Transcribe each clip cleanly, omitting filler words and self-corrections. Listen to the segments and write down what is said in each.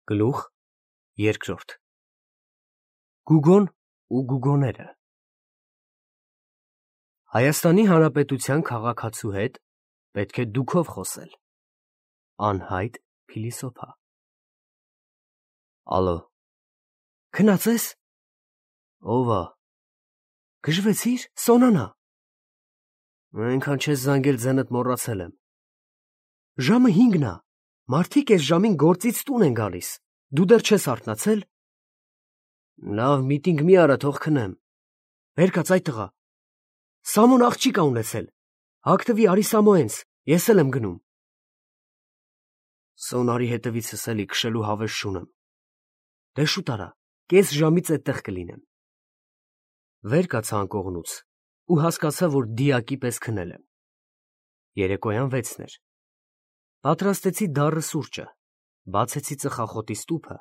Գլուխ երկրորդ Գուգոն ու գուգոները Հայաստանի Հանրապետության քաղաքացու հետ պետք է դուքով խոսել։ Անհայտ փիլիսոփա Ալո Քնած ես։ Ով ա։ Գժվեցիր, Սոնանա։ Այնքան չես զանգել ձենդ մոռացել եմ։ Ժամը 5-ն ա։ Մարդիկ այս ժամին գործից տուն են գալիս։ Դու դեռ չես արթնացել։ Լավ, միտինգ մի արա, թող քնեմ։ Վեր կաց այդ տղա։ Սամոն աղջիկ ա ունեցել։ Հագտվի արի Սամոյենց, ես էլ եմ գնում։ Սոնարի հետևիցս էլի քշելու հավես չունեմ։ Դե շուտ արա, կես ժամից էդտեղ կլինեմ։ Վեր կաց անկողնուց ու հասկացա, որ դիակի պես քնել եմ։ Երեկոյան 6-ն էր։ Պատրաստեցի դառը սուրճը, բացեցի ծխախոտի ստուփը,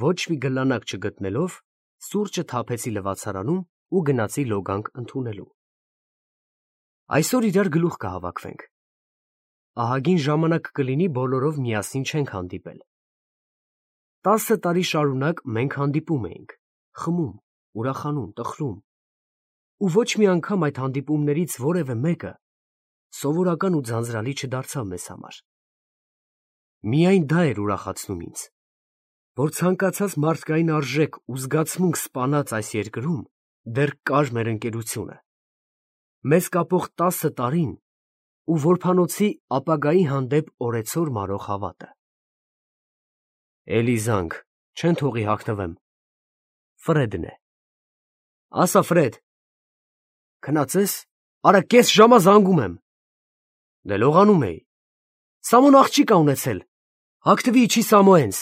ոչ մի գլանակ չգտնելով, սուրճը թափեցի լվացարանում ու գնացի լոգանք ընդունելու։ Այսօր իրար գլուխ կհավաքվենք։ Ահագին ժամանակ կլինի բոլորով միասին չենք հանդիպել։ 10 տարի շարունակ մենք հանդիպում էինք, խմում, ուրախանում, տխրում։ Ու ոչ մի անգամ այդ հանդիպումներից որևէ մեկը սովորական ու ձանձրալի չդարձավ մեզ համար։ Միայն դա էր ուրախացնում ինձ, որ ցանկացած մարդկային արժեք ու զգացմունք սպանած այս երկրում դեռ կար մեր ընկերությունը, մեզ կապող 10 տարին ու որբանոցի ապագայի հանդեպ օրեցօր մարող հավատը։ Էլի զանգ, չեն թողի հագնվեմ։ Ֆրեդն է։ Ասա Ֆրեդ։ Քնած ես, արա կես ժամա զանգում եմ։ Դե լողանում էի։ Սամոն աղջիկ ա ունեցել։ Հագտվի իջի Սամոյենց։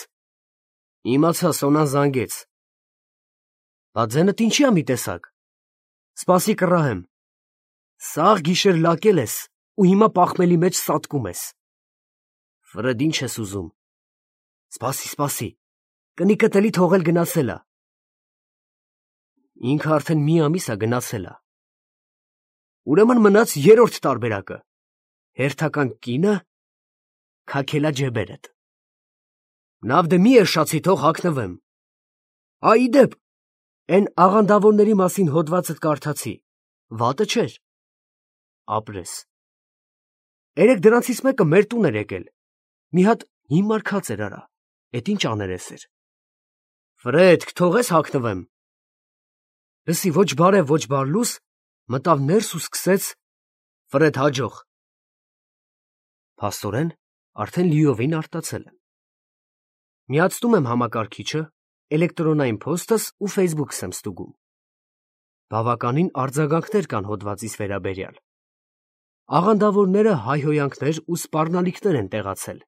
Իմացա, Սոնան զանգեց։ Բա ձենդ ինչի ա մի տեսակ։ Սպասի կռահեմ։ Սաղ գիշեր լակել ես ու հիմա պաղմելի մեջ սատկում ես։ Ֆրեդ, ինչ ես ուզում։ Սպասի։ Կնիկդ էլի թողել գնացել ա։ Ինքը արդեն մի ամիս ա գնացել ա։ Ուրեմն մնաց երրորդ տարբերակը։ Հերթական կինը քաքելա ջեբերդ։ Նավ դե մի էշացի, թող հագնվեմ։ Ի դեպ, էն աղանդավորների մասին հոդվածդ կարդացի։ Վատը չէր։ Ապրես։ Երեք դրանցից մեկը մեր տուն էր եկել։ Մի հատ հիմար քած էր արա։ Էդ ինչ աներես էր։ Ֆրեդ, թողես հագնվեմ։ Լսի, ոչ բարև, ոչ բարլուս, մտավ ներս ու սկսեց Ֆրեդ հաջող։ Փաստորեն, արդեն լիովին արտացել եմ։ Միացնում եմ համակարգիչը, էլեկտրոնային փոստս ու ֆեյսբուքս եմ ստուգում։ Բավականին արձագանքներ կան հոդվածիս վերաբերյալ։ Աղանդավորները հայհոյանքներ ու սպառնալիքներ են տեղացել։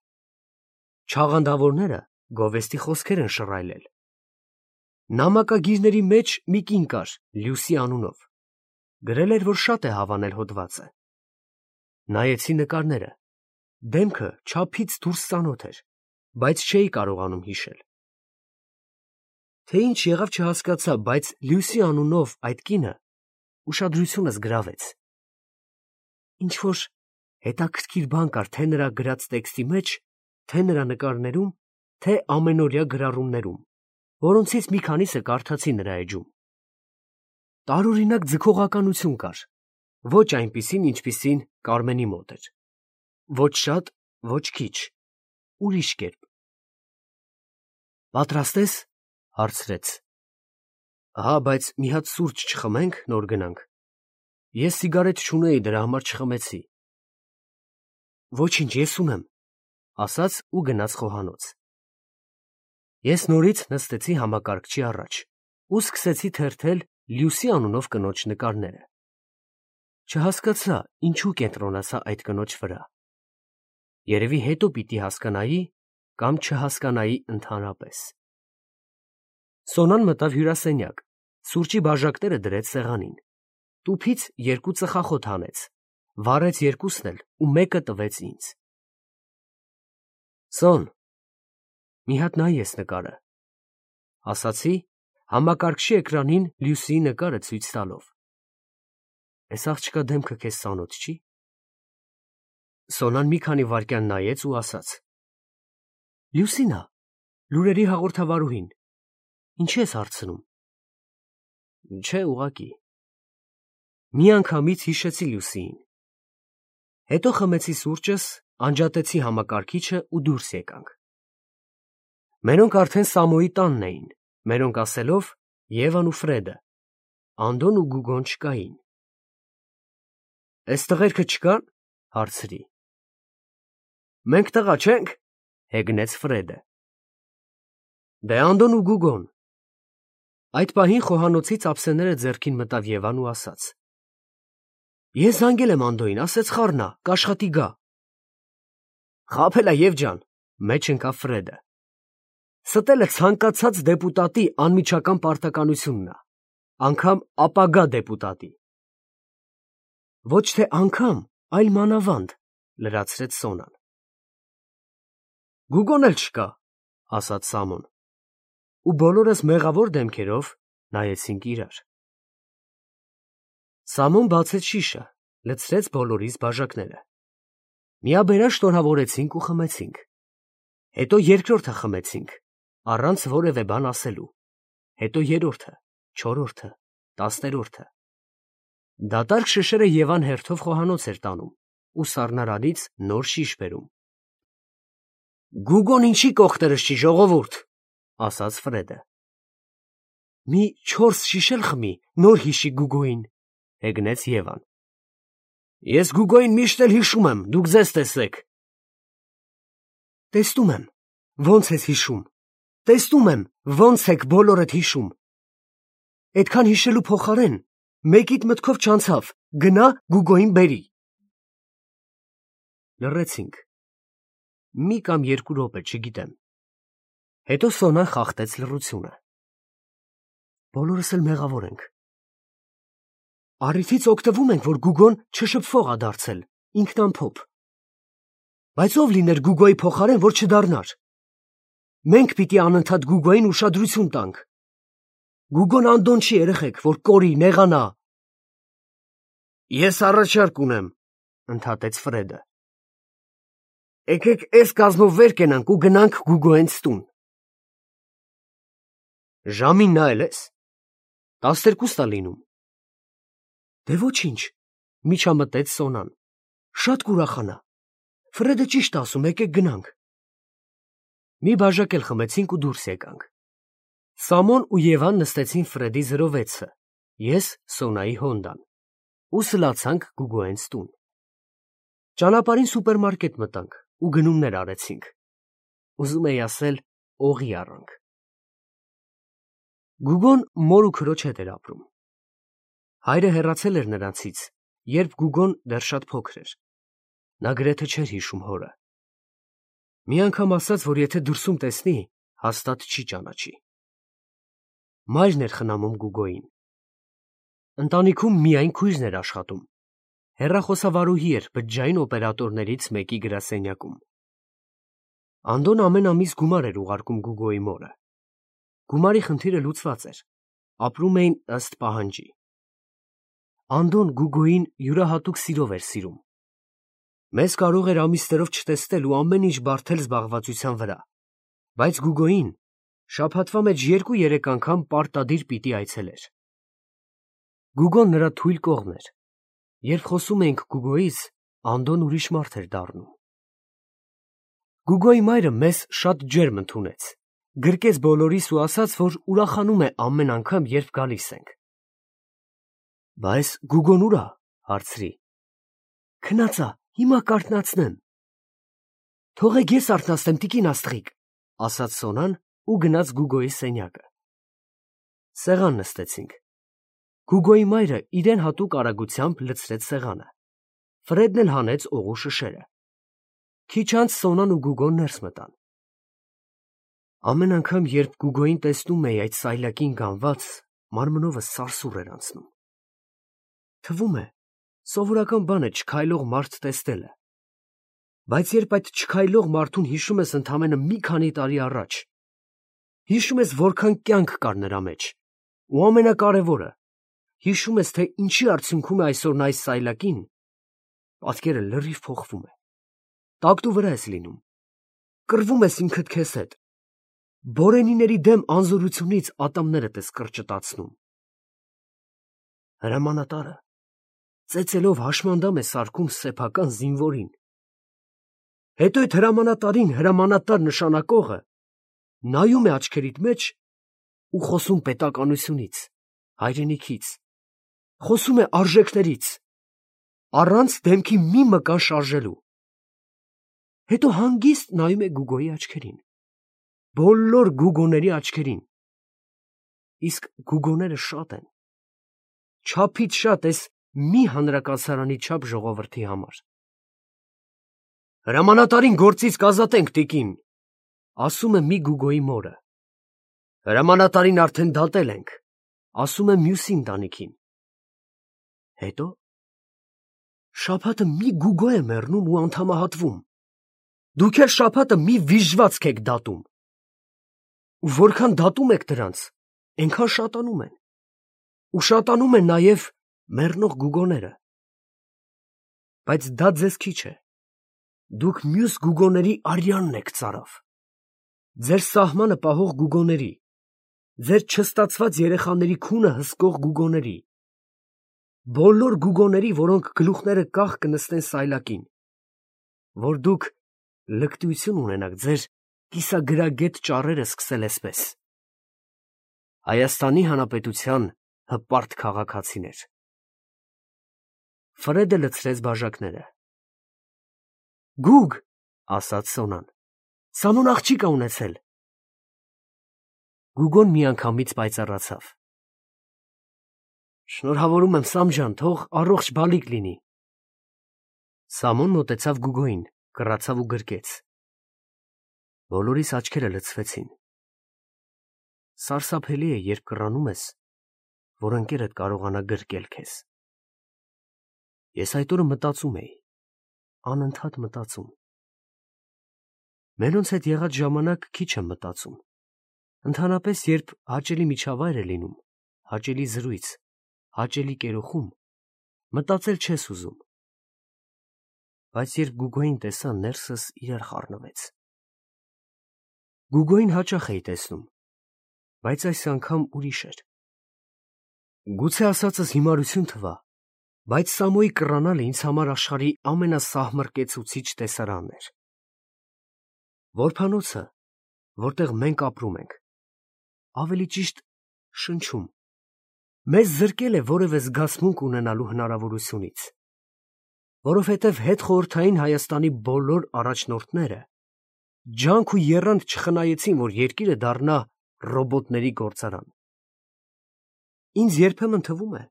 Չաղանդավորները գովեստի խոսքեր են շռայլել։ Նամակագիրների մեջ մի կին կար, Լյուսի անունով։ Գրել էր, որ շատ է հավանել հոդվածը։ Նայեցի նկարները։ Դեմքը չափից դուրս ծանոթ էր, բայց չէի կարողանում հիշել։ Թե ինչ եղավ չհասկացա, բայց Լյուսի անունով այդ կինը ուշադրությունս գրավեց։ Ինչ-որ հետաքրքիր բան կար թե նրա գրած տեքստի մեջ, թե նրա նկարներում, թե ամենօրյա գրառումներում, որոնցից մի քանիսը կարդացի նրա էջում։ Տարօրինակ ձգողականություն կար, ոչ այնպիսին, ինչպիսին Կարմենի մոտ էր։ Ոչ շատ, ոչ քիչ, ուրիշ կերպ։ Պատրաստ ես, հարցրեց։ Ահա, բայց մի հատ սուրճ չխմենք, նոր գնանք։ Ես սիգարետ չունեի, դրա համար չխմեցի։ Ոչինչ, ես ունեմ, ասաց ու գնաց խոհանոց։ Ես նորից նստեցի համակարգչի առաջ ու սկսեցի թերթել Լյուսի անունով կնոջ նկարները։ Չհասկացա, ինչու կենտրոնացա այդ կնոջ վրա։ Երևի հետո պիտի հասկանայի կամ չհասկանայի ընդհանրապես։ Սոնան մտավ հյուրասենյակ, սուրճի բաժակները դրեց սեղանին։ Տուփից 2 ծխախոտ հանեց, վառեց 2-ն էլ ու մեկը տվեց ինձ։ Սոն, մի հատ նայի ես նկարը, ասացի, համակարգչի էկրանին Լյուսիի նկարը ցույց տալով։ Էս աղջկա դեմքը քեզ ծանոթ չի։ Սոնան մի քանի վայրկյան նայեց ու ասաց. Լյուսինա, Լուրերի հաղորդավարուհին։ Ինչի ես հարցնում։ Չէ, ուղղակի։ Միանգամից հիշեցի Լուսիին։ Հետո խմեցի սուրճս, անջատեցի համակարգիչը ու դուրս եկանք։ Մերոնք արդեն Սամոյի տանն էին, մերոնք ասելով Եվան ու Ֆրեդը, Անդոն ու Գուգոն չկային։ Էս տղերքը չկան, հարցրի։ Մենք տղա չենք, հեգնեց Ֆրեդը։ Դե Անդոն ու Գուգոն։ Այդ պահին խոհանոցից ափսեները ձեռքին մտավ Եվան ու ասաց. Ես զանգել եմ Անդոյին, ասեց խառնա, կաշխատի գա։ Խաբելա Եվ ջան, մեջ ընկավ Ֆրեդը։ Ստելը ցանկացած դեպուտատի անմիջական պարտականությունն է, անգամ ապագա դեպուտատի։ Ոչ թե անգամ, այլ մանավանդ, լրացրեց Սոնան։ Գուգոն էլ չկա, ասաց Սամոն։ Ու բոլորս մեղավոր դեմքերով նայեցինք իրար։ Սամոն բացեց շիշը, լցրեց բոլորիս բաժակները։ Միաբերան շնորհավորեցինք ու խմեցինք։ Հետո երկրորդը խմեցինք, առանց որևէ բան ասելու։ Հետո երրորդը, չորրորդը, տասներորդը։ Դատարկ շշերը Եվան հերթով խոհանոց էր տանում ու սառնարանից նոր շիշ բերում։ Գուգոն ինչի կողտերս չի, ժողովուրդ, ասաց Ֆրեդը։ Մի 4 շիշ էլ խմի, նոր հիշի Գուգոին, հեգնեց Եվան։ Ես Գուգոին միշտ էլ հիշում եմ, դուք ձեզ տեսեք։ Տեսնում եմ, ոնց ես հիշում։ Տեսնում եմ, ոնց եք բոլորդ հիշում։ Այդքան հիշելու փոխարեն մեկիդ մտքով չանցավ, գնա Գուգոին բերի։ Լռեցինք։ Մի կամ 2 րոպե, չգիտեմ։ Հետո Սոնան խախտեց լռությունը։ Բոլորս էլ մեղավոր ենք։ Առիթից օգտվում ենք, որ Գուգոն չշփվող է դարձել, ինքնամփոփ։ Բայց ով լիներ Գուգոյի փոխարեն, որ չդառնար։ Մենք պիտի անընդհատ Գուգոյին ուշադրություն տանք։ Գուգոն Անդոն չի երեխեք, որ կորի, նեղանա։ Ես առաջարկ ունեմ, ընդհատեց Ֆրեդը։ Եկեք էս կազմով վեր կենանք ու գնանք Գուգոյենց տուն։ Ժամին նայել ես։ 12 է լինում։ Դե ոչինչ, միջամտեց Սոնան։ Շատ կուրախանա։ Ֆրեդը ճիշտ է ասում, եկեք գնանք։ Մի բաժակ էլ խմեցինք ու դուրս եկանք։ Սամոն ու Եվան նստեցին Ֆրեդի 06-ը, ես Սոնայի Հոնդան, ու սլացանք Գուգոյենց տուն։ Ճանապարհին սուպերմարկետ մտանք ու գնումներ արեցինք։ Ուզում էի ասել, օղի առանք։ Գուգոն մոր ու քրոջ հետ էր ապրում։ Հայրը հեռացել էր նրանցից, երբ Գուգոն դեռ շատ փոքր էր։ Նա գրեթե չէր հիշում հորը։ Մի անգամ ասաց, որ եթե դրսում տեսնի, հաստատ չի ճանաչի։ Մայրն էր խնամում Գուգոյին։ Ընտանիքում միայն քույրն էր աշխատում։ Հեռախոսավարուհի էր բջջային օպերատորներից մեկի գրասենյակում։ Անդոն ամեն ամիս գումար էր ուղարկում Գուգոյի մորը։ Գումարի խնդիրը լուծված էր։ Ապրում էին ըստ պահանջի։ Անդոն Գուգոյին յուրահատուկ սիրով էր սիրում։ Մեզ կարող էր ամիսներով չտեսնել ու ամեն ինչ բարդել զբաղվածության վրա, բայց Գուգոյին շաբաթվա մեջ 2-3 անգամ պարտադիր պիտի այցելեր։ Գուգոն նրա թույլ կողմն էր։ Երբ խոսում էինք Գուգոյից, Անդոն ուրիշ մարդ էր դառնում։ Գուգոյի մայրը մեզ շատ ջերմ ընդունեց, գրկեց բոլորիս ու ասաց, որ ուրախանում է ամեն անգամ, երբ գալիս ենք։ Բայց Գուգոն ուր է, հարցրի։ Քնած է, հիմա կարթնացնեմ։ Թողեք ես արթնացնեմ, տիկին աստղիկ, ասաց Սոնան ու գնաց Գուգոյի սենյակը։ Սեղան նստեցինք։ Գուգոյի մայրը իրեն հատուկ արագությամբ լցրեց սեղանը։ Ֆրեդն էլ հանեց օղու շշերը։ Քիչ անց Սոնան ու Գուգոն ներս մտան։ Ամեն անգամ, երբ Գուգոյին տեսնում էի այդ սայլակին գանված, մարմնովս սարսուռ էր անցնում։ Թվում է, սովորական բան է չքայլող մարդ տեսնելը։ Բայց երբ այդ չքայլող մարդուն հիշում ես ընդամենը մի քանի տարի առաջ, հիշում ես որքան կյանք կար նրա մեջ, ու ամենակարևորը, հիշում ես, թե ինչի արդյունքում է այսօր նա այս սայլակին, պատկերը լրիվ փոխվում է։ Տակտու վրա ես լինում, կռվում ես ինքդ քեզ հետ, Բորենիների դեմ անզորությունից ատամներդ ես կրճտացնում։ Հրամանատարը ծեծելով հաշմանդամ է սարքում սեփական զինվորին։ Հետո այդ հրամանատարին հրամանատար նշանակողը նայում է աչքերիդ մեջ ու խոսում պետականությունից, հայրենիքից, խոսում է արժեքներից, առանց դեմքի մի մկան շարժելու։ Հետո հանգիստ նայում է Գուգոյի աչքերին, բոլոր Գուգոների աչքերին։ Իսկ Գուգոները շատ են, չափից շատ էս մի հանրակացարանի չափ ժողովրդի համար։ Հրամանատարին գործից կազատենք, տիկին, ասում է մի Գուգոյի մորը։ Հրամանատարին արդեն դատել ենք, ասում է մյուսի ընտանիքին։ Հետո շաբաթը մի Գուգո է մեռնում ու անդամահատվում։ Դուք էլ շաբաթը մի վիժվածք եք դատում։ Ու որքան դատում եք դրանց, այնքան շատանում են։ Ու շատանում են նաև մեռնող Գուգոները։ Բայց դա ձեզ քիչ է։ Դուք մյուս Գուգոների արյանն եք ծարավ։ Ձեր սահմանը պահող Գուգոների, ձեր չստացված երեխաների քունը հսկող Գուգոների, բոլոր Գուգոների, որոնք գլուխները կախ կնստեն սայլակին, որ դուք լկտիություն ունենաք ձեր կիսագրագետ ճառերը սկսել էսպես։ Հայաստանի Հանրապետության հպարտ քաղաքացիներ։ Ֆրեդը լցրեց բաժակները։ Գուգ, ասաց Սոնան, Սամոն աղջիկ ա ունեցել։ Գուգոն միանգամից պայծառացավ։ Շնորհավորում եմ, Սամ ջան, թող առողջ բալիկ լինի։ Սամոն մոտեցավ Գուգոյին, կռացավ ու գրկեց։ Բոլորիս աչքերը լցվեցին։ Սարսափելի է, երբ կռանում ես, որ ընկերդ կարողանա գրկել քեզ։ Ես այդ օրը մտածում էի, անընդհատ մտածում։ Մենոնց հետ եղած ժամանակ քիչ եմ մտածում։ Ընդհանրապես, երբ հաճելի միջավայր է լինում, հաճելի զրույց, հաճելի կերոխում, մտածել չես ուզում։ Բայց երբ Գուգոյին տեսա, ներսս իրար խառնվեց։ Գուգոյին հաճախ էի տեսնում, բայց այս անգամ ուրիշ էր։ Գուցե ասածս հիմարություն թվա, բայց Սամոյի կռանալը ինձ համար աշխարհի ամենասահմռկեցուցիչ տեսարանն էր։ Որբանոցը, որտեղ մենք ապրում ենք, ավելի ճիշտ շնչում, մեզ զրկել է որևէ զգացմունք ունենալու հնարավորությունից, որովհետև հետխորհրդային Հայաստանի բոլոր առաջնորդները ջանք ու եռանդ չխնայեցին, որ երկիրը դառնա ռոբոտների գործարան։ Ինձ երբեմն թվում է,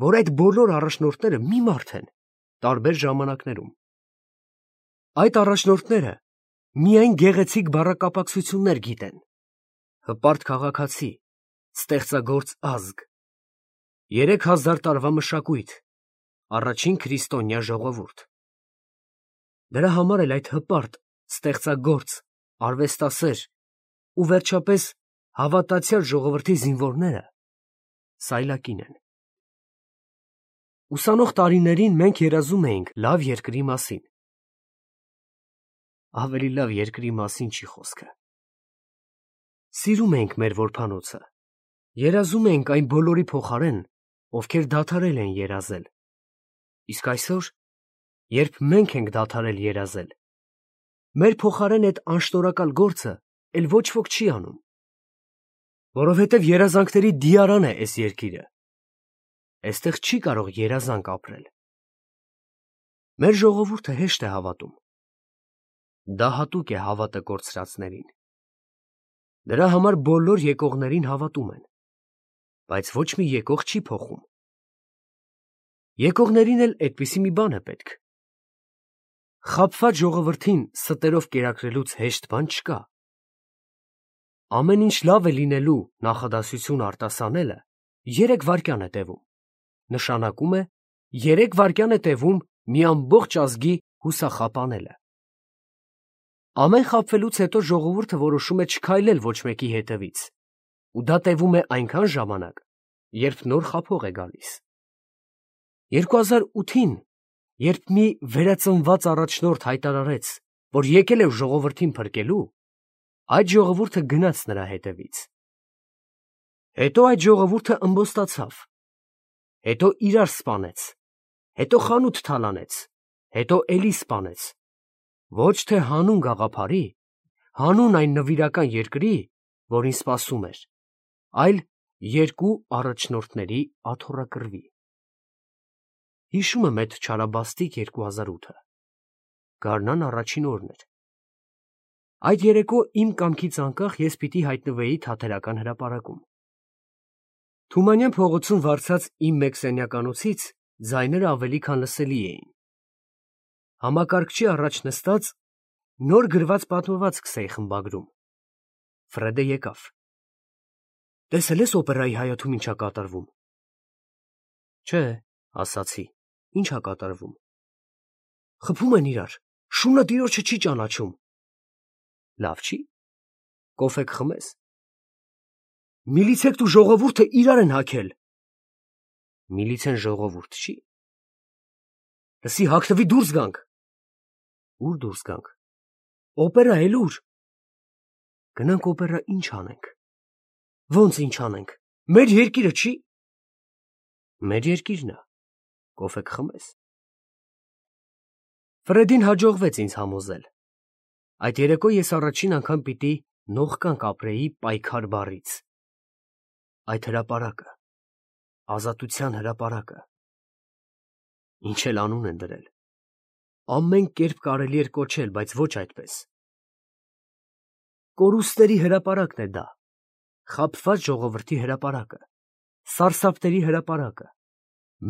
որ այդ բոլոր առաջնորդները մի մարդ են, տարբեր ժամանակներում։ Այդ առաջնորդները միայն գեղեցիկ բառակապակցություններ գիտեն։ Հպարտ քաղաքացի, ստեղծագործ ազգ, 3000 տարվա մշակույթ, առաջին քրիստոնյա ժողովուրդ։ Դրա համար էլ այդ հպարտ, ստեղծագործ, արվեստասեր ու վերջապես հավատացյալ ժողովրդի զինվորները սայլակին են։ Ուսանող տարիներին մենք երազում էինք լավ երկրի մասին։ Ավելի լավ երկրի մասին չի խոսքը։ Սիրում էինք մեր որբանոցը, երազում էինք այն բոլորի փոխարեն, ովքեր դադարել են երազել։ Իսկ այսօր, երբ մենք ենք դադարել երազել, մեր փոխարեն այդ անշնորհակալ գործը էլ ոչ ոք չի անում, որովհետև երազանքների դիարան է այս երկիրը։ Այստեղ չի կարող երազանք ապրել։ Մեր ժողովուրդը հեշտ է հավատում։ Դա հատուկ է հավատը կորցրածներին։ Դրա համար բոլոր եկողներին հավատում են, բայց ոչ մի եկող չի փոխում։ Եկողներին էլ այդպիսի մի բան է պետք։ Խաբված ժողովրդին ստերով կերակրելուց հեշտ բան չկա։ Ամեն ինչ լավ է լինելու նախադասություն արտասանելը 3 վայրկյան է տևում, նշանակում է 3 վայրկյան է տևում մի ամբողջ ազգի հուսախապանելը։ Ամեն խաբվելուց հետո ժողովուրդը որոշում է չքայլել ոչ մեկի հետևից, ու դա տևում է այնքան ժամանակ, երբ նոր խաբող է գալիս։ 2008-ին, երբ մի վերածնված առաջնորդ հայտարարեց, որ եկել է ժողովրդին փրկելու, այդ ժողովուրդը գնաց նրա հետևից։ Հետո այդ ժողովուրդը ըմբոստացավ, հետո իրար սպանեց, հետո խանութ թալանեց, հետո էլի սպանեց, ոչ թե հանուն գաղափարի, հանուն այն նվիրական երկրի, որին սպասում էր, այլ երկու առաջնորդների աթոռակռվի։ Հիշում եմ այդ չարաբաստիկ 2008-ը, գարնան առաջին օրն էր։ Այդ երեկո իմ կամքից անկախ ես պիտի հայտնվեի Թատերական հրապարակում։ Թումանյան փողոցում վարձած իմ մեկ սենյականոցից ձայները ավելի քան լսելի էին։ Համակարգչի առաջ նստած նոր գրված պատմվածքս էի խմբագրում։ Ֆրեդը եկավ։ Տեսել ես օպերայի հայաթում ինչա կատարվում։ Չէ, ասացի, ինչա կատարվում։ Խփում են իրար, շունը տիրոջը չի ճանաչում։ Լավ չի, կոֆեկ խմես։ Միլիցեքտ ու ժողովուրդը իրար են հագել։ Միլիցեն ժողովուրդ չի։ Լսի, հագնվի դուրս գանք։ Ուր դուրս գանք։ Օպերա էլ ուր։ Գնանք օպերա ինչ անենք։ Ոնց ինչ անենք։ Մեր երկիրը չի։ Մեր երկիրն է։ Կոֆեկ խմես։ Ֆրեդին հաջողվեց ինձ համոզել։ Այդ երեկո ես առաջին անգամ պիտի նողկանք ապրեի պայքար բառից։ Այդ հրապարակը, ազատության հրապարակը։ Ինչ էլ անուն են դրել։ Ամեն կերպ կարելի էր կոչել, բայց ոչ այդպես։ Կորուստների հրապարակն է դա, խաբված ժողովրդի հրապարակը, սարսափների հրապարակը,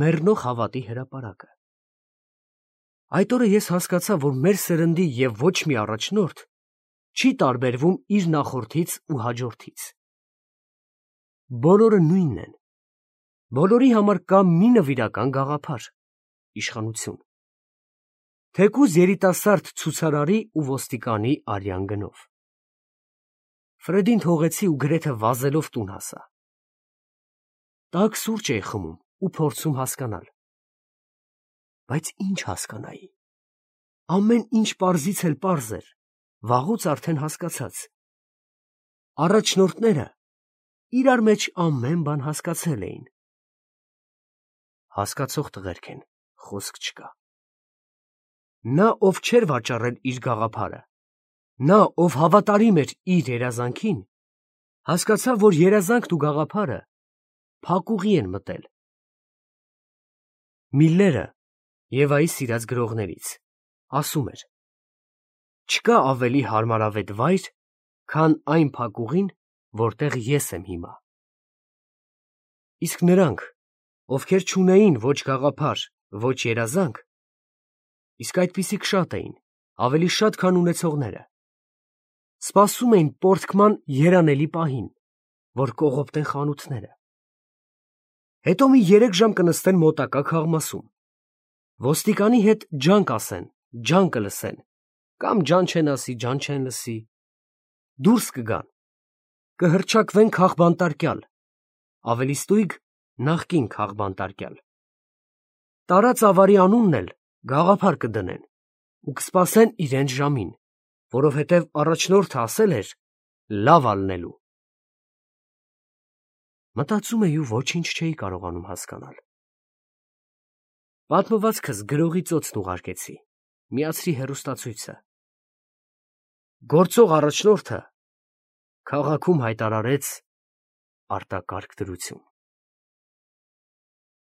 մեռնող հավատի հրապարակը։ Այդ օրը ես հասկացա, որ մեր սերնդի և ոչ մի առաջնորդ չի տարբերվում իր նախորդից ու հաջորդից։ Բոլորը նույնն են։ Բոլորի համար կա մի նվիրական գաղափար՝ իշխանություն։ Թեկուզ երիտասարդ ցուցարարի ու ոստիկանի արյան գնով։ Ֆրեդին թողեցի ու գրեթե վազելով տուն հասա։ Տաք սուրճ էի խմում ու փորձում հասկանալ։ Բայց ինչ հասկանայի։ Ամեն ինչ պարզից էլ պարզ էր, վաղուց արդեն հասկացած։ Առաջնորդները իրար մեջ ամեն բան հասկացել էին։ Հասկացող տղերք են, խոսք չկա։ Նա, ով չէր վաճառել իր գաղափարը, նա, ով հավատարիմ էր իր երազանքին, հասկացավ, որ երազանքն ու գաղափարը փակուղի են մտել։ Միլլերը, Եվայի սիրած գրողներից, ասում էր. չկա ավելի հարմարավետ վայր, քան այն փակուղին, որտեղ ես եմ հիմա։ Իսկ նրանք, ովքեր չունեին ոչ գաղափար, ոչ երազանք, իսկ այդպիսիք շատ էին, ավելի շատ, քան ունեցողները, սպասում էին պոռթկման երանելի պահին, որ կողոպտեն խանութները։ Հետո մի 3 ժամ կնստեն մոտակա քաղմասում, ոստիկանի հետ ջանք ասեն, ջան կլսեն, կամ ջան չեն ասի, ջան չեն լսի, դուրս կգան, կհռչակվեն քաղբանտարկյալ, ավելի ստույգ նախկին քաղբանտարկյալ։ Տարած ավարի անունն էլ գաղափար կդնեն ու կսպասեն իրենց ժամին, որովհետև առաջնորդը ասել էր լավ ալնելու։ Մտածում էի ու ոչինչ չէի կարողանում հասկանալ։ Պատմվածքս գրողի ծոցն ուղարկեցի, միացրի հեռուստացույցը։ Գործող առաջնորդը քաղաքում հայտարարեց արտակարգ դրություն։